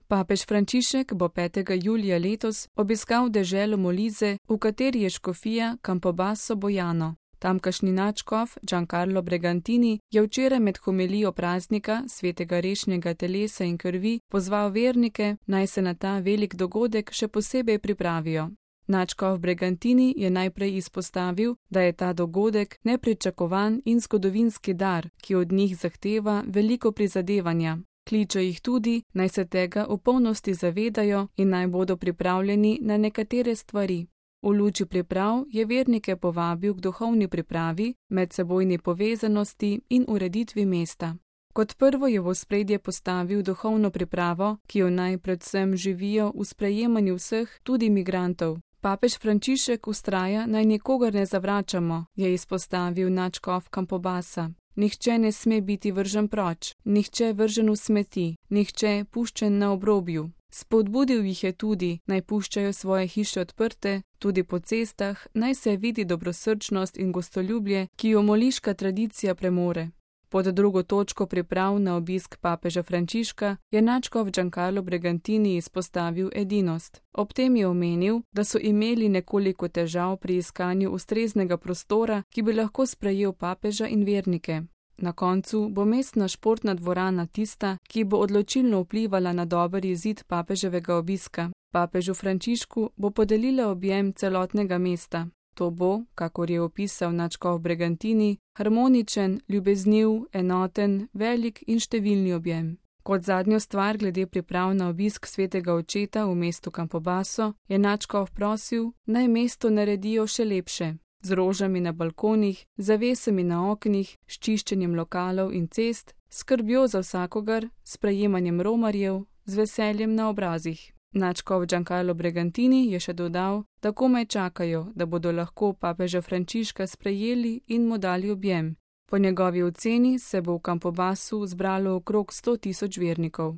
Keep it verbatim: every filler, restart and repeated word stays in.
Papež Frančišek bo petega julija letos obiskal deželo Molise, v kateri je škofija Campobasso Bojano. Tamkajšnji nadškof Giancarlo Bregantini je včeraj med homilijo praznika svetega rešnjega telesa in krvi pozval vernike, naj se na ta velik dogodek še posebej pripravijo. Nadškof Bregantini je najprej izpostavil, da je ta dogodek nepričakovan in zgodovinski dar, ki od njih zahteva veliko prizadevanja. Kliče jih tudi, naj se tega v polnosti zavedajo in naj bodo pripravljeni na nekatere stvari. V luči priprav je vernike povabil k duhovni pripravi, medsebojni povezanosti in ureditvi mesta. Kot prvo je v ospredje postavil duhovno pripravo, ki jo naj predvsem živijo v sprejemanju vseh, tudi migrantov. Papež Frančišek vztraja, naj nikogar ne zavračamo, je izpostavil nadškof Campobassa. Nihče ne sme biti vržen proč, nihče vržen v smeti, nihče puščen na obrobju. Spodbudil jih je tudi, naj puščajo svoje hiše odprte, tudi po cestah, naj se vidi dobrosrčnost in gostoljubje, ki jo moliška tradicija premore. Pod drugo točko priprav na obisk papeža Frančiška je nadškof Giancarlo Bregantini izpostavil edinost. Ob tem je omenil, da so imeli nekoliko težav pri iskanju ustreznega prostora, ki bi lahko sprejel papeža in vernike. Na koncu bo mestna športna dvorana tista, ki bo odločilno vplivala na dober izid papeževega obiska. Papežu Frančišku bo podelila objem celotnega mesta. To bo, kakor je opisal nadškof Bregantini, harmoničen, ljubezniv, enoten, velik in številni objem. Kot zadnjo stvar glede priprav na obisk svetega očeta v mestu Campobasso je nadškof prosil, naj mesto naredijo še lepše. Z rožami na balkonih, zavesami na oknih, s čiščenjem lokalov in cest, skrbjo za vsakogar, sprejemanjem romarjev, z veseljem na obrazih. Nadškof Giancarlo Bregantini je še dodal, da komaj čakajo, da bodo lahko papeža Frančiška sprejeli in mu dali objem. Po njegovi oceni se bo v Campobassu zbralo okrog sto tisoč vernikov.